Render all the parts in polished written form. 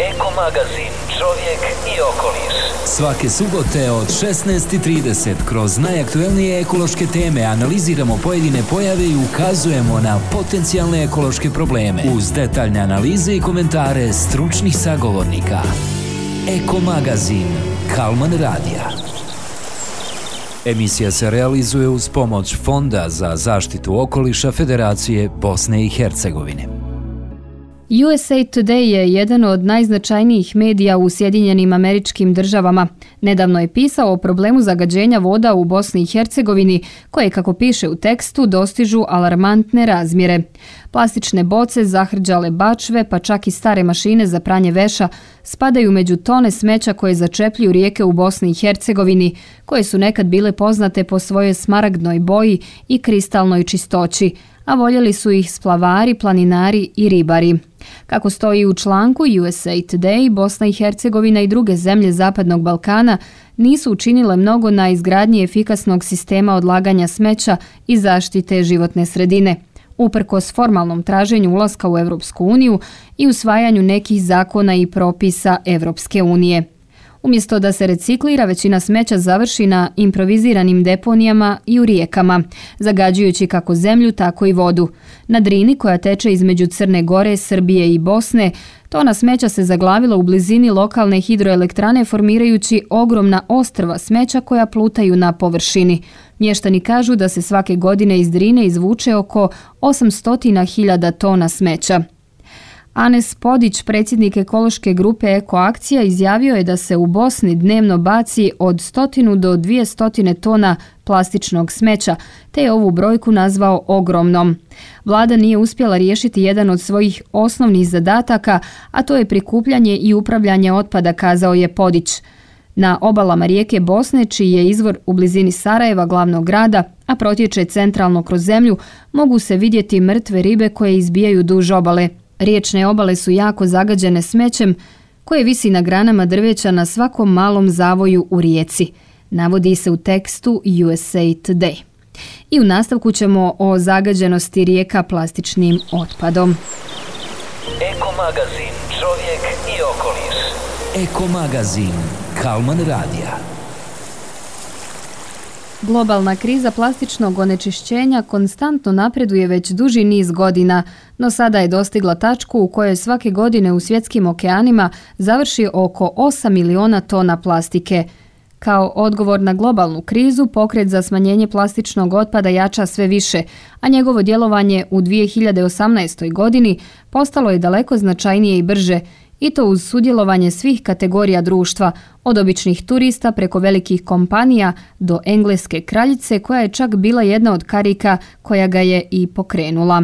Eko magazin Čovjek i okoliš. Svake subote od 16:30 kroz najaktuelnije ekološke teme analiziramo pojedine pojave i ukazujemo na potencijalne ekološke probleme uz detaljne analize i komentare stručnih sagovornika. Eko magazin Kalman Radija. Emisija se realizuje uz pomoć Fonda za zaštitu okoliša Federacije Bosne i Hercegovine. USA Today je jedan od najznačajnijih medija u Sjedinjenim Američkim Državama. Nedavno je pisao o problemu zagađenja voda u Bosni i Hercegovini, koje, kako piše u tekstu, dostižu alarmantne razmjere. Plastične boce, zahrđale bačve, pa čak i stare mašine za pranje veša spadaju među tone smeća koje začepljuju rijeke u Bosni i Hercegovini, koje su nekad bile poznate po svojoj smaragdnoj boji i kristalnoj čistoći, a voljeli su ih splavari, planinari i ribari. Kako stoji u članku USA Today, Bosna i Hercegovina i druge zemlje Zapadnog Balkana nisu učinile mnogo na izgradnji efikasnog sistema odlaganja smeća i zaštite životne sredine, uprkos formalnom traženju ulaska u Europsku uniju i usvajanju nekih zakona i propisa Europske unije. Umjesto da se reciklira, većina smeća završi na improviziranim deponijama i u rijekama, zagađujući kako zemlju, tako i vodu. Na Drini, koja teče između Crne Gore, Srbije i Bosne, tona smeća se zaglavila u blizini lokalne hidroelektrane, formirajući ogromna ostrva smeća koja plutaju na površini. Mještani kažu da se svake godine iz Drine izvuče oko 800.000 tona smeća. Anes Podić, predsjednik ekološke grupe Ekoakcija, izjavio je da se u Bosni dnevno baci od 100 do 200 tona plastičnog smeća, te je ovu brojku nazvao ogromnom. Vlada nije uspjela riješiti jedan od svojih osnovnih zadataka, a to je prikupljanje i upravljanje otpada, kazao je Podić. Na obalama rijeke Bosne, čiji je izvor u blizini Sarajeva, glavnog grada, a protječe centralno kroz zemlju, mogu se vidjeti mrtve ribe koje izbijaju duž obale. Riječne obale su jako zagađene smećem koje visi na granama drveća na svakom malom zavoju u rijeci, navodi se u tekstu USA Today. I u nastavku ćemo o zagađenosti rijeka plastičnim otpadom. Eko magazin Čovjek i okoliš. Eko magazin Kalman Radija. Globalna kriza plastičnog onečišćenja konstantno napreduje već duži niz godina, no sada je dostigla tačku u kojoj svake godine u svjetskim okeanima završi oko 8 miliona tona plastike. Kao odgovor na globalnu krizu, pokret za smanjenje plastičnog otpada jača sve više, a njegovo djelovanje u 2018. godini postalo je daleko značajnije i brže, i to uz sudjelovanje svih kategorija društva, od običnih turista preko velikih kompanija do engleske kraljice, koja je čak bila jedna od karika koja ga je i pokrenula.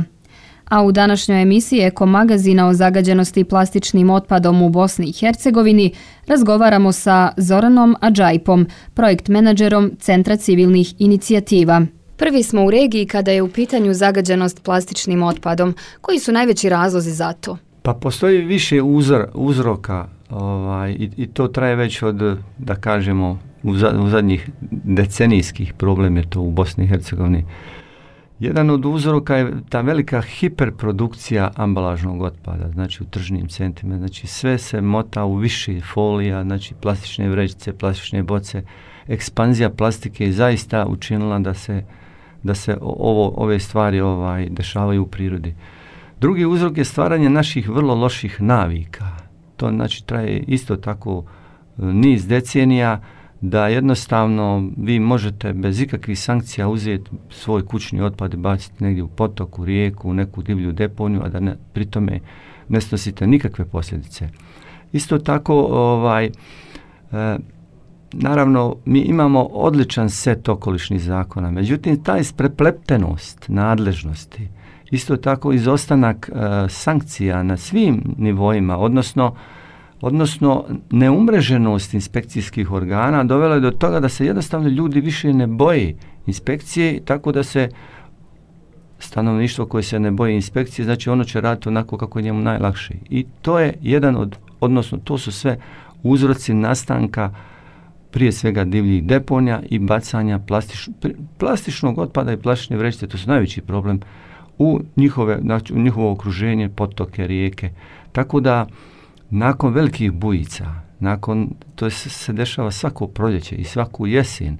A u današnjoj emisiji Eko magazina o zagađenosti plastičnim otpadom u Bosni i Hercegovini razgovaramo sa Zoranom Adžajpom, projekt menadžerom Centra civilnih inicijativa. Prvi smo u regiji kada je u pitanju zagađenost plastičnim otpadom. Koji su najveći razlozi za to? Pa postoji više uzroka i to traje već od, da kažemo, u zadnjih decenijskih problem je to u Bosni i Hercegovini. Jedan od uzroka je ta velika hiperprodukcija ambalažnog otpada, znači u tržnim centrima, znači sve se mota u više folija, znači plastične vrećice, plastične boce. Ekspanzija plastike je zaista učinila da se ove stvari dešavaju u prirodi. Drugi uzrok je stvaranje naših vrlo loših navika. To znači traje isto tako niz decenija, da jednostavno vi možete bez ikakvih sankcija uzeti svoj kućni otpad i baciti negdje u potok, u rijeku, u neku divlju deponiju, a da pri tome ne snosite nikakve posljedice. Isto tako, naravno, mi imamo odličan set okolišnih zakona, međutim, ta isprepletenost nadležnosti, isto tako izostanak sankcija na svim nivoima, odnosno neumreženost inspekcijskih organa dovela je do toga da se jednostavno ljudi više ne boje inspekcije, tako da se stanovništvo koje se ne boji inspekcije, znači ono će raditi onako kako je njemu najlakše. I to je to su sve uzroci nastanka prije svega divljih deponija i bacanja plastičnog otpada i plastične vrećice. To su najveći problem u njihovo okruženje, potoke, rijeke. Tako da nakon velikih bujica, to se dešava svako proljeće i svaku jesen,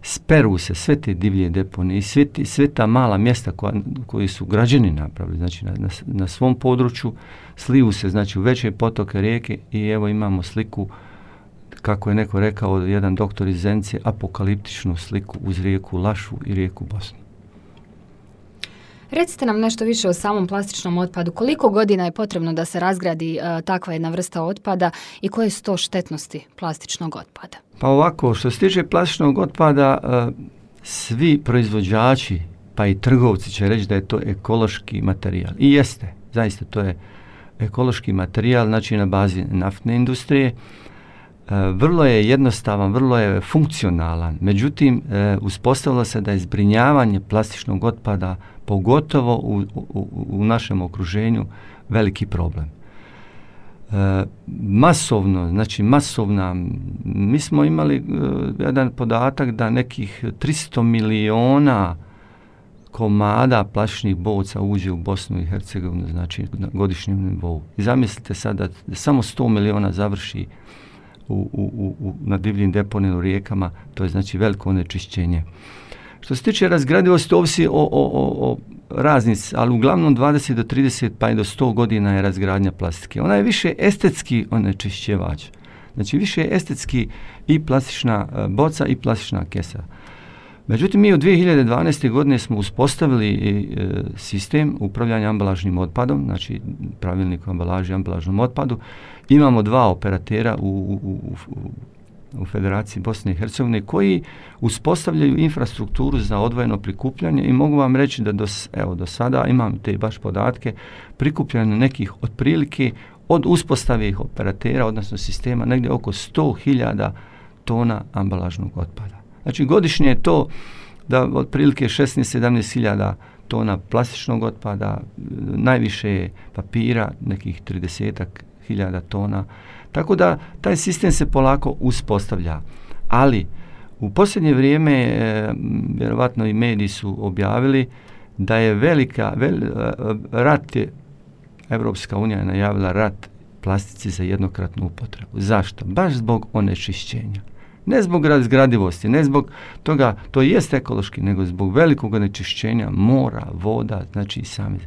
speru se sve te divlje deponije i sve ta mala mjesta koji su građani napravili, znači na svom području, sliju se znači u veće potoke rijeke i evo imamo sliku, kako je neko rekao, jedan doktor iz Zenice, apokaliptičnu sliku uz rijeku Lašu i rijeku Bosnu. Recite nam nešto više o samom plastičnom otpadu. Koliko godina je potrebno da se razgradi takva jedna vrsta otpada i koje su to štetnosti plastičnog otpada? Pa ovako, što se tiče plastičnog otpada, svi proizvođači, pa i trgovci će reći da je to ekološki materijal. I jeste, zaista to je ekološki materijal, znači na bazi naftne industrije. Vrlo je jednostavan, vrlo je funkcionalan, međutim uspostavilo se da je zbrinjavanje plastičnog otpada pogotovo u našem okruženju veliki problem. Masovna, mi smo imali jedan podatak da nekih 300 miliona komada plastičnih boca uđe u Bosnu i Hercegovinu, znači na godišnjem nivou. I zamislite sad da samo 100 miliona završi na divljim deponijama u rijekama, to je znači veliko onečišćenje. Što se tiče razgradivosti, ovisi o raznici, ali uglavnom 20 do 30 pa i do 100 godina je razgradnja plastike. Ona je više estetski onečišćivač. Znači više je estetski i plastična boca i plastična kesa. Međutim, mi u 2012. godine smo uspostavili sistem upravljanja ambalažnim otpadom, znači pravilnik o ambalaži i ambalažnom otpadu. Imamo 2 operatera u Federaciji Bosne i Hercegovine koji uspostavljaju infrastrukturu za odvojeno prikupljanje i mogu vam reći da do sada imam te baš podatke prikupljanja nekih otprilike od uspostave operatera, odnosno sistema, negdje oko 100.000 tona ambalažnog otpada. Znači godišnje je to da otprilike 16-17.000 tona plastičnog otpada, najviše je papira, nekih 30.000 tona. Tako da taj sistem se polako uspostavlja. Ali u posljednje vrijeme, vjerovatno i mediji su objavili da je Evropska unija je najavila rat plastici za jednokratnu upotrebu. Zašto? Baš zbog onečišćenja. Ne zbog razgradivosti, ne zbog toga, to jest ekološki, nego zbog velikog onečišćenja mora, voda, znači i sami.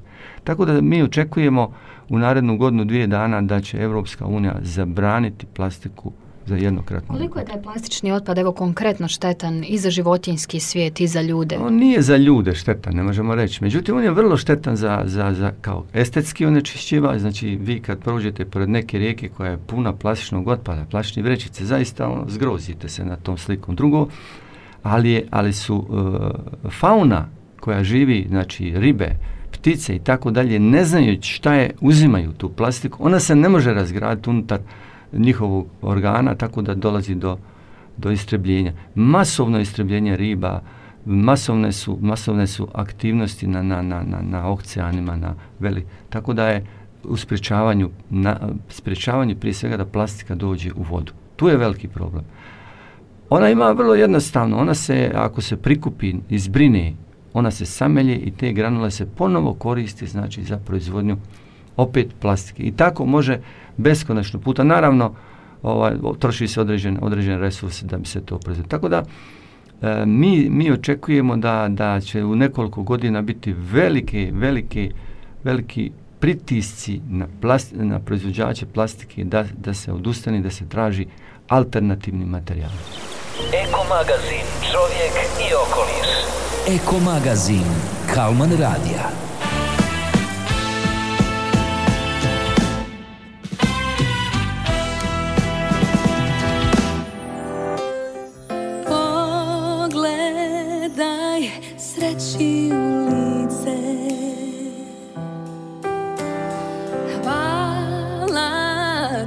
Tako da mi očekujemo u narednu godinu, 2 dana da će Evropska unija zabraniti plastiku za jednokratnu. Koliko je taj plastični otpad evo konkretno štetan i za životinjski svijet i za ljude? On nije za ljude štetan, ne možemo reći. Međutim, on je vrlo štetan za kao estetski onečišćivač. Znači, vi kad prođete pored neke rijeke koja je puna plastičnog otpada, plastične vrećice, zaista zgrozite se na tom slikom. Drugo, ali su fauna koja živi, znači ribe, ptice i tako dalje, ne znajući šta je, uzimaju tu plastiku, ona se ne može razgraditi unutar njihovog organa, tako da dolazi do istrebljenja. Masovno istrebljenje riba, masovne su aktivnosti na oceanima, tako da je u sprječavanju prije svega da plastika dođe u vodu. Tu je veliki problem. Ona ima vrlo jednostavno, ona se, ako se prikupi i zbrine, ona se samelje i te granule se ponovo koristi, znači za proizvodnju opet plastike. I tako može beskonačno puta. Naravno, troši se određene resurse da bi se to proizvodilo. Tako da mi očekujemo da će u nekoliko godina biti veliki pritisci na proizvođače plastike da se odustane, da se traži alternativni materijal. Eko magazin Čovjek i okoliš. Eko magazin Kalman radija. Pogledaj sreći u lice. Hvala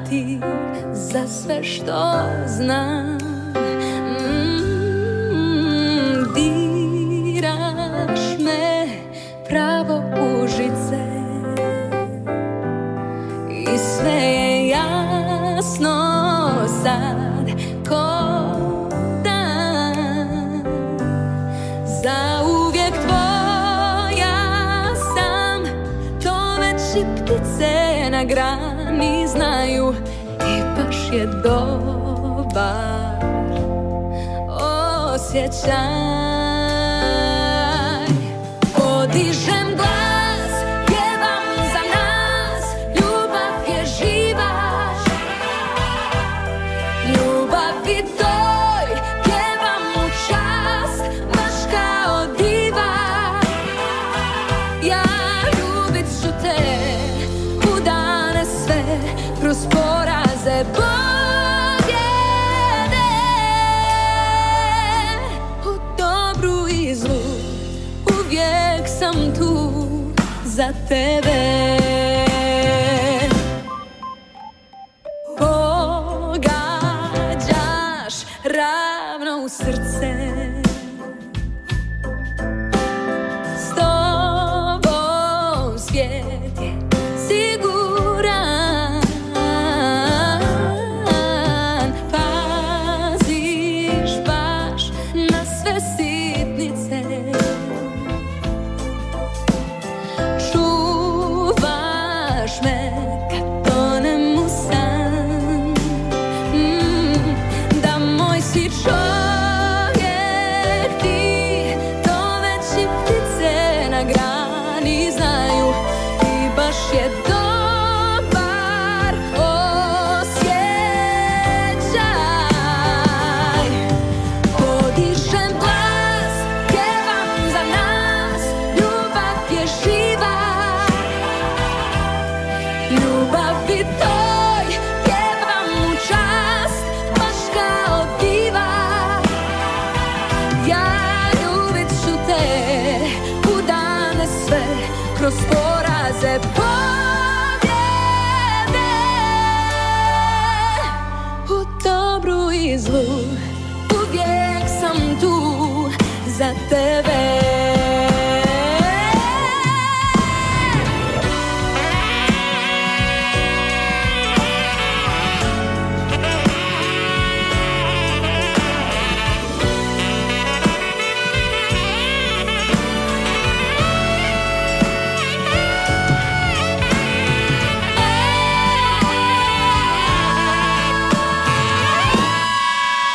ti za sve što znam. Diraš me pravo u žice i sve je jasno sad ko dan. Zauvijek tvoja sam, to već već i ptice na grani znaju i baš je dobar osjećaj. Podižem glas, pjevam za nas, ljubav je živa, ljubavi toj pjevam u čast, baš kao diva. Ja ljubit ću te u dane sve, kroz poraze pobjede, u dobru i zlu uvijek sam tu za tebe. Pogađaš ravno u srce, s tobom svijet je siguran. Paziš baš na sve sitnice, čuvaš me kad tonem u san. Da moj si čovjek ti, to već i ptice na grani znaju i baš je dobar osjećaj. Podižem glas, pjevam za nas, ljubav je živa, ljubavi toj pjevam u čast, baš kao diva. Ja ljubit ću te u dane sve, kroz poraze pobjede, u dobru i zlu uvijek sam tu za tebe.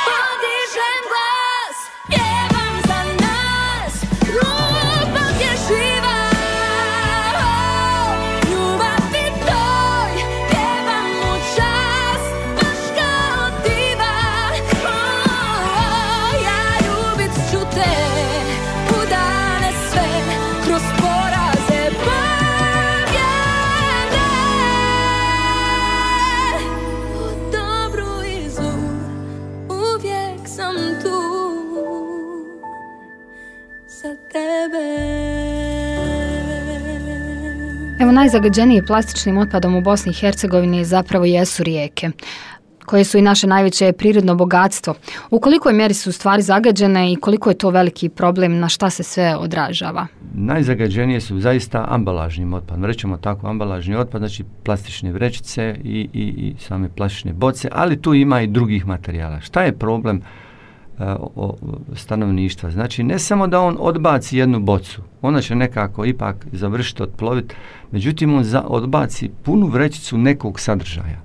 Podižem glas, pjevam za nas, ljubav je živa, ljubavi toj pjevam u čast, baš kao diva. Ja ljubit ću te u dane sve, kroz poraze pobjede, u dobru i zlu uvijek sam tu za tebe. Evo, najzagađeniji plastičnim otpadom u Bosni i Hercegovini zapravo jesu rijeke, koje su i naše najveće prirodno bogatstvo. U kolikoj mjeri su u stvari zagađene i koliko je to veliki problem, na šta se sve odražava? Najzagađenije su zaista ambalažnim otpadom. Rećemo tako, ambalažni otpad, znači plastične vrećice i same plastične boce, ali tu ima i drugih materijala. Šta je problem stanovništva? Znači, ne samo da on odbaci jednu bocu, ona će nekako ipak završiti otploviti, međutim on odbaci punu vrećicu nekog sadržaja.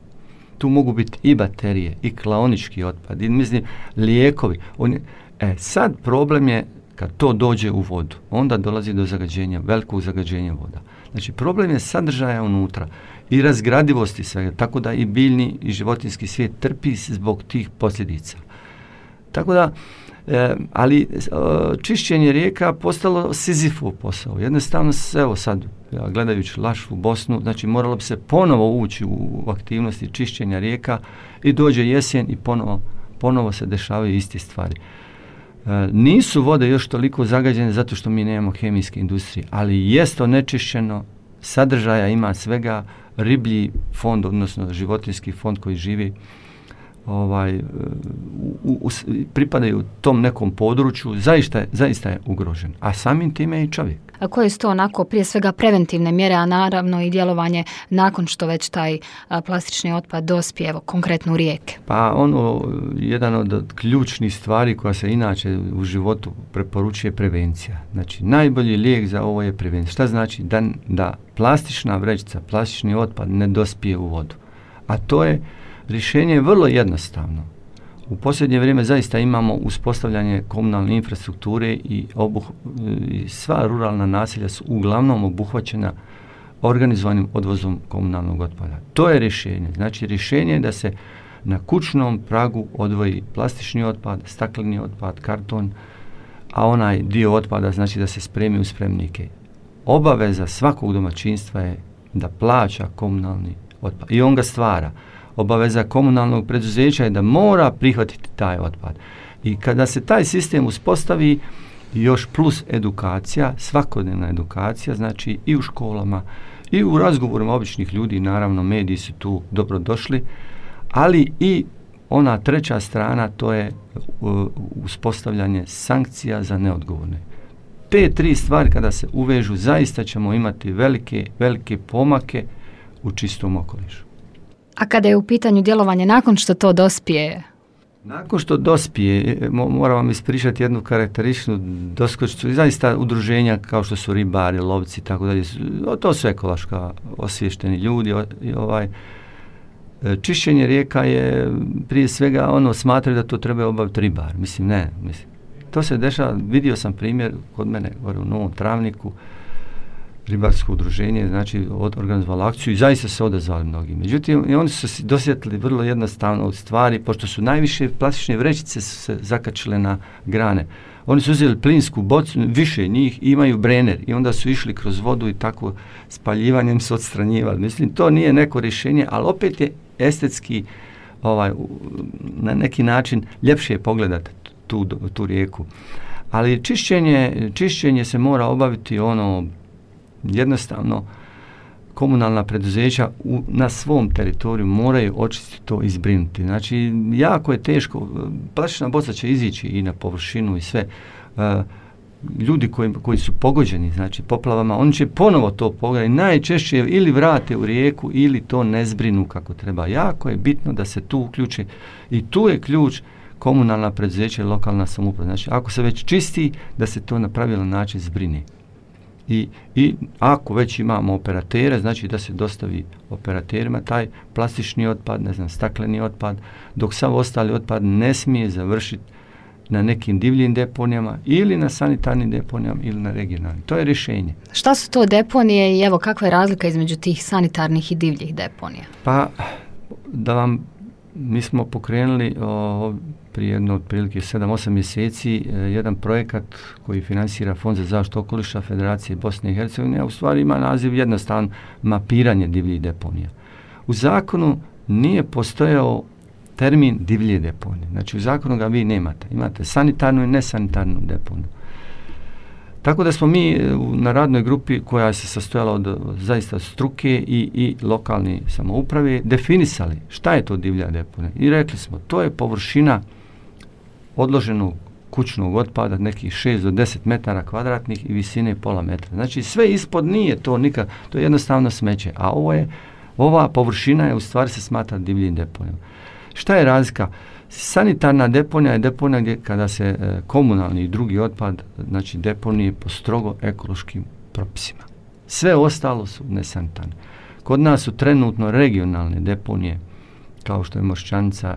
Tu mogu biti i baterije, i klaonički otpad, i mislim, lijekovi. Sad problem je kad to dođe u vodu, onda dolazi do zagađenja, velikog zagađenja voda. Znači, problem je sadržaja unutra i razgradivosti svega, tako da i biljni i životinjski svijet trpi zbog tih posljedica. Tako da, ali čišćenje rijeka postalo Sizifov posao. Jednostavno, evo sad, gledajući našu Bosnu, znači moralo bi se ponovo ući u aktivnosti čišćenja rijeka i dođe jesen i ponovo se dešavaju iste stvari. Nisu vode još toliko zagađene zato što mi nemamo kemijske industrije, ali jest onečišćeno, sadržaja ima svega, riblji fond, odnosno životinjski fond koji živi pripadaju tom nekom području, zaista je ugrožen, a samim time i čovjek. koje su to onako prije svega preventivne mjere, a naravno i djelovanje nakon što već taj plastični otpad dospije, evo konkretno u rijeke? Pa jedan od ključnih stvari koja se inače u životu preporučuje prevencija. Znači najbolji lijek za ovo je prevencija. Šta znači? Da plastična vrećica, plastični otpad ne dospije u vodu. A to je rješenje vrlo jednostavno. U posljednje vrijeme zaista imamo uspostavljanje komunalne infrastrukture i sva ruralna naselja su uglavnom obuhvaćena organizovanim odvozom komunalnog otpada. To je rješenje. Znači rješenje je da se na kućnom pragu odvoji plastični otpad, stakleni otpad, karton, a onaj dio otpada znači da se spremi u spremnike. Obaveza svakog domaćinstva je da plaća komunalni otpad i on ga stvara. Obaveza komunalnog preduzeća je da mora prihvatiti taj otpad. I kada se taj sistem uspostavi, još plus edukacija, svakodnevna edukacija, znači i u školama, i u razgovorima običnih ljudi, naravno mediji su tu dobro došli, ali i ona treća strana, to je uspostavljanje sankcija za neodgovorne. Te tri stvari kada se uvežu, zaista ćemo imati velike pomake u čistom okolišu. A kada je u pitanju djelovanje nakon što to dospije? Nakon što dospije, moram vam ispričati jednu karakterističnu doskočicu i zaista udruženja kao što su ribari, lovci i tako dalje. To su ekološka osviješteni ljudi. Čišćenje rijeka je prije svega smatraju da to treba obaviti ribar. Mislim. To se dešava, vidio sam primjer kod mene gore u Novom Travniku, ribarsko udruženje, znači organizovalo akciju i zaista se odazvali mnogi. Međutim, i oni su se dosjetili vrlo jednostavno od stvari, pošto su najviše plastične vrećice su se zakačile na grane. Oni su uzeli plinsku bocu, više njih, imaju brener i onda su išli kroz vodu i tako spaljivanjem se odstranjivali. Mislim, to nije neko rješenje, ali opet je estetski na neki način ljepše pogledati tu rijeku. Ali čišćenje se mora obaviti jednostavno komunalna preduzeća na svom teritoriju moraju očistiti to i zbrinuti. Znači, jako je teško, plastična boca će izići i na površinu i sve. Ljudi koji su pogođeni, znači poplavama, oni će ponovo to pogledati, najčešće ili vrate u rijeku ili to ne zbrinu kako treba. Jako je bitno da se tu uključe i tu je ključ komunalna preduzeća i lokalna samouprava. Znači, ako se već čisti, da se to na pravilan način zbrine. I ako već imamo operatere, znači da se dostavi operaterima taj plastični otpad, stakleni otpad, dok sav ostali otpad ne smije završiti na nekim divljim deponijama ili na sanitarnim deponijama ili na regionalnim. To je rješenje. Šta su to deponije i evo kakva je razlika između tih sanitarnih i divljih deponija? Pa mi smo pokrenuli prije jedno otprilike 7-8 mjeseci jedan projekat koji financira Fond za zaštitu okoliša Federacije Bosne i Hercegovine, a u stvari ima naziv jednostavno mapiranje divljih deponija. U zakonu nije postojao termin divlje deponije. Znači u zakonu ga vi nemate. Imate sanitarnu i nesanitarnu deponiju. Tako da smo mi na radnoj grupi koja se sastojala od zaista struke i lokalne samouprave definisali šta je to divlja deponija. I rekli smo, to je površina odloženog kućnog otpada nekih 6 do 10 metara kvadratnih i visine pola metra. Znači sve ispod nije to nikad, to je jednostavno smeće. A ova površina je u stvari se smatra divljim deponijom. Šta je razlika? Sanitarna deponija je deponija gdje kada se komunalni i drugi otpad, znači deponije po strogo ekološkim propisima. Sve ostalo su nesanitarne. Kod nas su trenutno regionalne deponije, kao što je Mošćanica,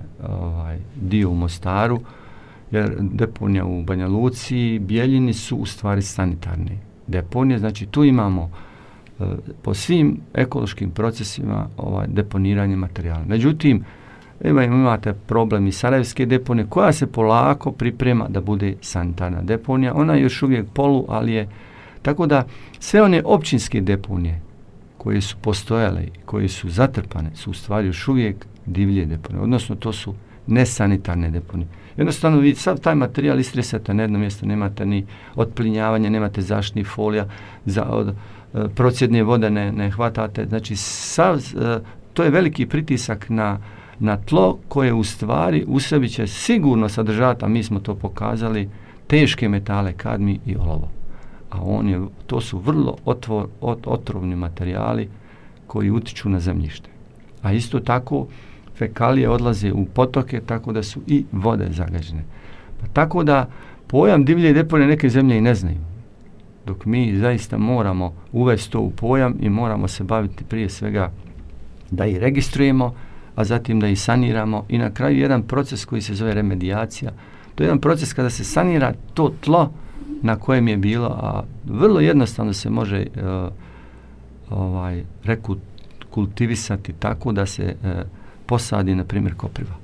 dio u Mostaru, jer deponija u Banja Luci, Bijeljini su u stvari sanitarne deponije. Znači tu imamo po svim ekološkim procesima deponiranje materijala. Međutim, imate problem i Sarajevske deponije koja se polako priprema da bude sanitarna deponija. Ona je još uvijek ali je. Tako da sve one općinske deponije koje su postojale i koje su zatrpane su u stvari još uvijek divlje deponije. Odnosno to su nesanitarne deponije. Jednostavno vi sav taj materijal istresate na jedno mjesto, nemate ni otplinjavanja, nemate zaštitnih folija, od procjedne vode ne hvatate. Znači to je veliki pritisak na tlo koje u stvari u sebi će sigurno sadržati, a mi smo to pokazali, teške metale, kadmij i olovo. a to su vrlo otrovni materijali koji utiču na zemljište. A isto tako fekalije odlaze u potoke, tako da su i vode zagađene. Pa tako da pojam divlje deponije neke zemlje i ne znaju. Dok mi zaista moramo uvesti to u pojam i moramo se baviti prije svega da ih registrujemo, a zatim da ih saniramo i na kraju jedan proces koji se zove remedijacija. To je jedan proces kada se sanira to tlo na kojem je bilo, a vrlo jednostavno se može rekultivisati tako da se posadi, na primjer, kopriva.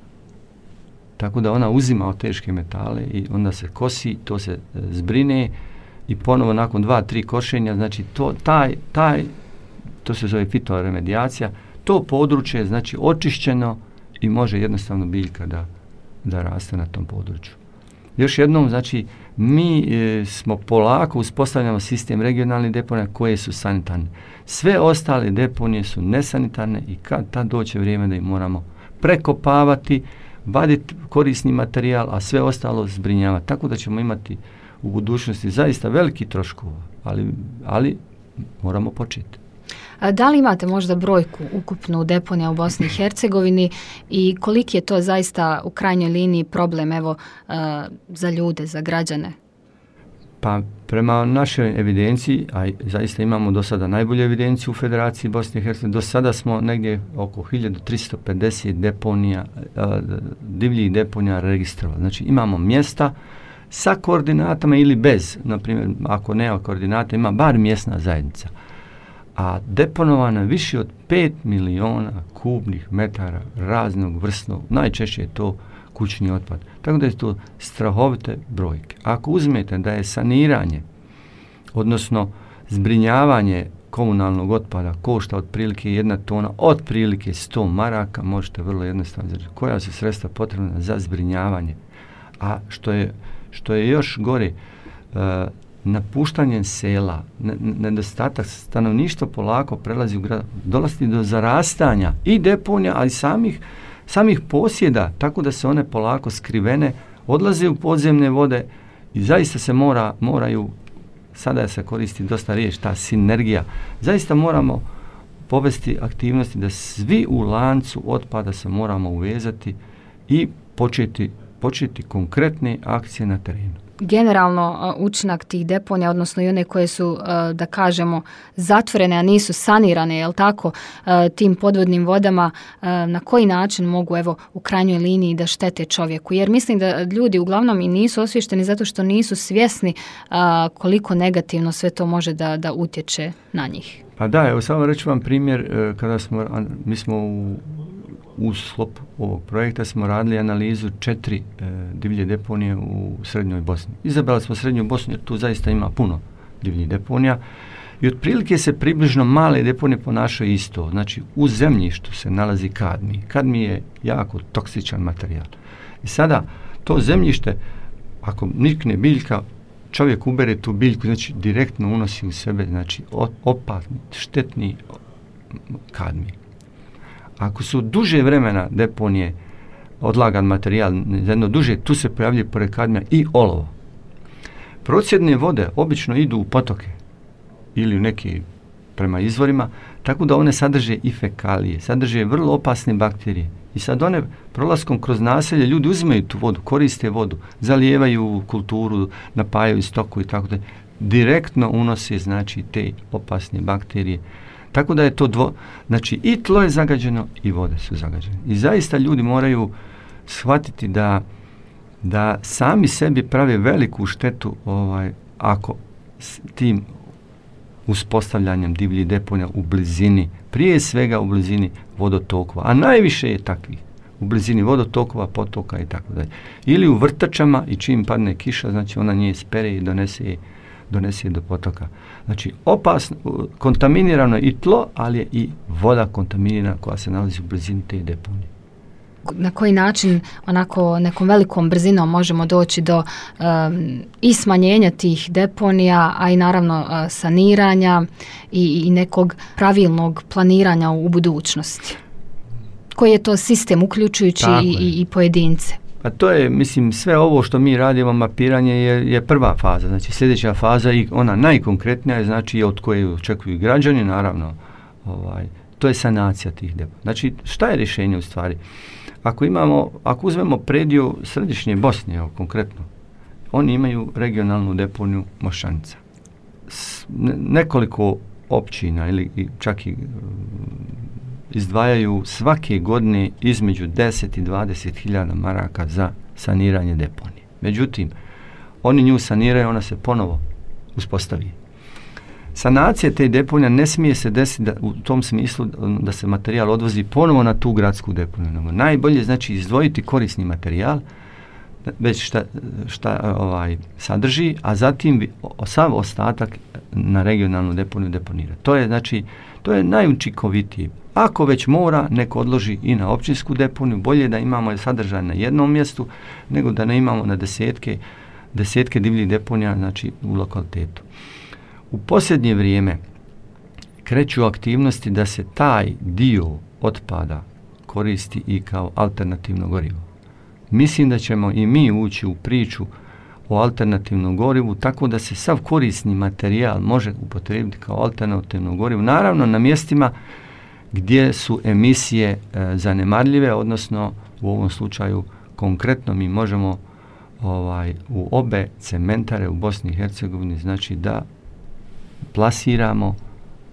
Tako da ona uzima od teške metale i onda se kosi, to se zbrine i ponovo nakon 2-3 košenja, znači to se zove fitoremedijacija, to područje je znači očišćeno i može jednostavno biljka da raste na tom području. Još jednom, znači, mi smo polako uspostavljamo sistem regionalnih deponija koje su sanitarne. Sve ostale deponije su nesanitarne i kad tad doće vrijeme da ih moramo prekopavati, vaditi korisni materijal, a sve ostalo zbrinjavati. Tako da ćemo imati u budućnosti zaista veliki troškova, ali moramo početi. Da li imate možda brojku ukupnu deponija u Bosni i Hercegovini i koliki je to zaista u krajnjoj liniji problem za ljude, za građane? Pa prema našoj evidenciji, a zaista imamo do sada najbolju evidenciju u Federaciji Bosne i Hercegovine, do sada smo negdje oko 1350 deponija, divljih deponija registrovali. Znači imamo mjesta sa koordinatama ili bez, na primjer ako nema koordinata ima bar mjesna zajednica. A deponovano je više od 5 miliona kubnih metara raznog vrstnog, najčešće je to kućni otpad. Tako da je to strahovite brojke. Ako uzmete da je saniranje, odnosno zbrinjavanje komunalnog otpada košta otprilike 1 tona, otprilike 100 maraka, možete vrlo jednostavno znači koja su sredstva potrebna za zbrinjavanje. A što je još gore, napuštanje sela, nedostatak stanovništva polako prelazi u grad, dolazi do zarastanja i deponija, ali samih posjeda, tako da se one polako skrivene, odlaze u podzemne vode i zaista se moraju, sada se koristi dosta riječ, ta sinergija, zaista moramo povesti aktivnosti da svi u lancu otpada se moramo uvezati i početi konkretne akcije na terenu. Generalno učinak tih deponija, odnosno i one koje su, da kažemo, zatvorene, a nisu sanirane, jel tako, tim podvodnim vodama, na koji način mogu, evo, u krajnjoj liniji da štete čovjeku? Jer mislim da ljudi uglavnom i nisu osvješteni zato što nisu svjesni koliko negativno sve to može da utječe na njih. Pa da, evo samo reću vam primjer, kada mi smo u sklopu ovog projekta smo radili analizu 4 divlje deponije u Srednjoj Bosni. Izabrali smo Srednju Bosnu jer tu zaista ima puno divljih deponija i otprilike se približno male deponije ponašaju isto. Znači u zemljištu se nalazi kadmij. Kadmij je jako toksičan materijal. I sada to zemljište, ako nikne biljka, čovjek ubere tu biljku, znači direktno unosi u sebe, znači opasni, štetni kadmij. Ako su duže vremena deponije odlagan materijal, jedno duže, tu se pojavljuje pored kadmija i olovo. Procjedne vode obično idu u potoke ili u neki prema izvorima, tako da one sadrže i fekalije, sadrže vrlo opasne bakterije. I sad one prolaskom kroz naselje, ljudi uzimaju tu vodu, koriste vodu, zalijevaju kulturu, napajaju stoku i tako da direktno unose znači te opasne bakterije. Tako da je to znači i tlo je zagađeno i vode su zagađene. I zaista ljudi moraju shvatiti da sami sebi prave veliku štetu ako s tim uspostavljanjem divljih deponija u blizini, prije svega u blizini vodotokova, a najviše je takvih u blizini vodotokova, potoka i tako dalje. Ili u vrtačama i čim padne kiša, znači ona nje spere i donese do potoka. Znači opasno, kontaminirano je i tlo, ali je i voda kontaminirana koja se nalazi u blizini te deponije. Na koji način onako nekom velikom brzinom možemo doći do i smanjenja tih deponija, a i naravno saniranja i nekog pravilnog planiranja u budućnosti? Koji je to sistem uključujući i pojedince? Pa to je, mislim, sve ovo što mi radimo, mapiranje je prva faza. Znači sljedeća faza i ona najkonkretnija je, znači od koje očekuju građani, naravno, to je sanacija tih deponija. Znači, šta je rješenje u stvari? Ako uzmemo prediju središnje Bosne, evo, konkretno, oni imaju regionalnu deponiju Mošćanica. Nekoliko općina ili čak i izdvajaju svake godine između 10 i 20 hiljada maraka za saniranje deponije. Međutim, oni nju saniraju, ona se ponovo uspostavi. Sanacija te deponija ne smije se desiti u tom smislu da se materijal odvozi ponovo na tu gradsku deponiju. Najbolje znači izdvojiti korisni materijal, već šta sadrži, a zatim sav ostatak na regionalnu deponiju deponirati. To je najučinkovitije. Ako već mora, neko odloži i na općinsku deponiju, bolje da imamo sadržaj na jednom mjestu, nego da ne imamo na desetke divljih deponija, znači u lokalitetu. U posljednje vrijeme kreću aktivnosti da se taj dio otpada koristi i kao alternativno gorivo. Mislim da ćemo i mi ući u priču o alternativnom gorivu, tako da se sav korisni materijal može upotrijebiti kao alternativno gorivo. Naravno na mjestima gdje su emisije zanemarljive, odnosno u ovom slučaju konkretno mi možemo u obe cementare u Bosni i Hercegovini, znači da plasiramo,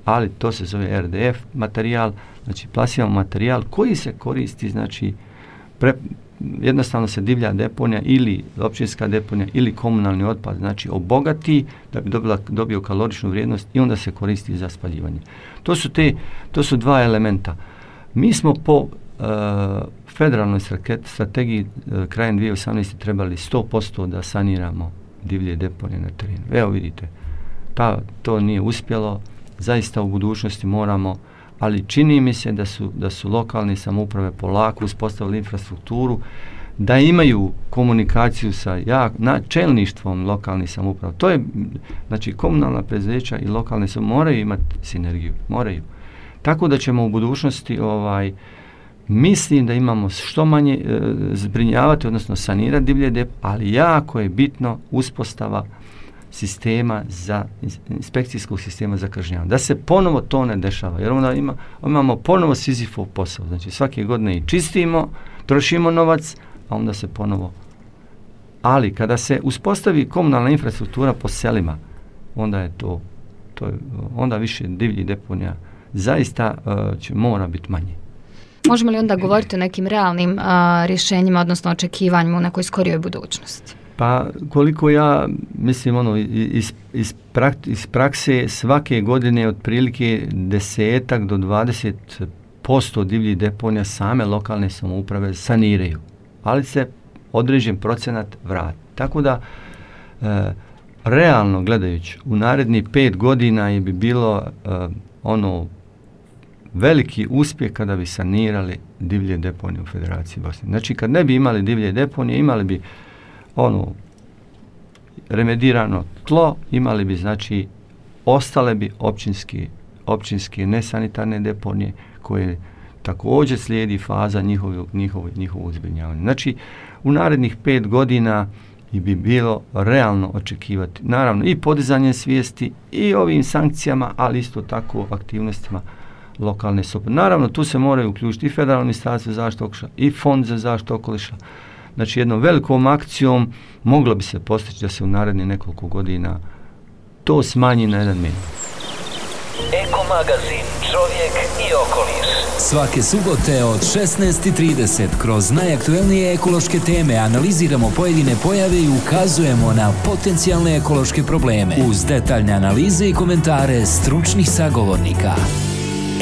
ali to se zove RDF materijal, znači plasiramo materijal koji se koristi, znači jednostavno se divlja deponija ili općinska deponija ili komunalni otpad, znači obogati da bi dobio kaloričnu vrijednost i onda se koristi za spaljivanje. To su dva elementa. Mi smo po federalnoj strategiji krajem 2018. trebali 100% da saniramo divlje deponije na terenu. Evo vidite, to nije uspjelo, zaista u budućnosti moramo, ali čini mi se da su lokalne samouprave polako uspostavili infrastrukturu, da imaju komunikaciju sa čelništvom lokalnih samouprava. To je, znači, komunalna preduzeća i lokalne samouprave moraju imati sinergiju, moraju. Tako da ćemo u budućnosti, mislim da imamo što manje zbrinjavati, odnosno sanirati divlje deponije, ali jako je bitno uspostava sistema inspekcijskog sistema za kažnjavanje. Da se ponovo to ne dešava, jer onda imamo ponovo Sizifov posao. Znači svake godine i čistimo, trošimo novac, a onda se ponovo. Ali kada se uspostavi komunalna infrastruktura po selima, onda je to onda više divljih deponija zaista mora biti manje. Možemo li onda govoriti o nekim realnim rješenjima, odnosno očekivanjima u nekoj skorijoj budućnosti? Pa koliko ja mislim iz prakse svake godine otprilike 10 do 20% divljih deponija same lokalne samouprave saniraju, ali se određen procenat vrati. Tako da realno gledajući u narednih 5 godina bi bilo veliki uspjeh kada bi sanirali divlje deponije u Federaciji Bosne. Znači kad ne bi imali divlje deponije, imali bi remedirano tlo, imali bi, znači, ostale bi općinske nesanitarne deponije koje također slijedi faza njihovog zbrinjavanja. Znači, u narednih 5 godina bi bilo realno očekivati, naravno, i podizanje svijesti i ovim sankcijama, ali isto tako aktivnostima lokalne samouprave. Naravno, tu se moraju uključiti i Federalno ministarstvo za zaštitu okoliša i Fond za zaštitu okoliša. Znači, jednom velikom akcijom moglo bi se postići da se u narednih nekoliko godina to smanji na 1 minut. Eko magazin Čovjek i okoliš. Svake subote od 16:30 kroz najaktuelnije ekološke teme analiziramo pojedine pojave i ukazujemo na potencijalne ekološke probleme uz detaljne analize i komentare stručnih sagovornika.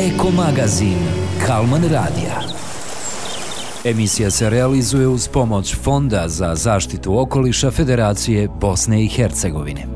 Eko magazin Kalman radija. Emisija se realizuje uz pomoć Fonda za zaštitu okoliša Federacije Bosne i Hercegovine.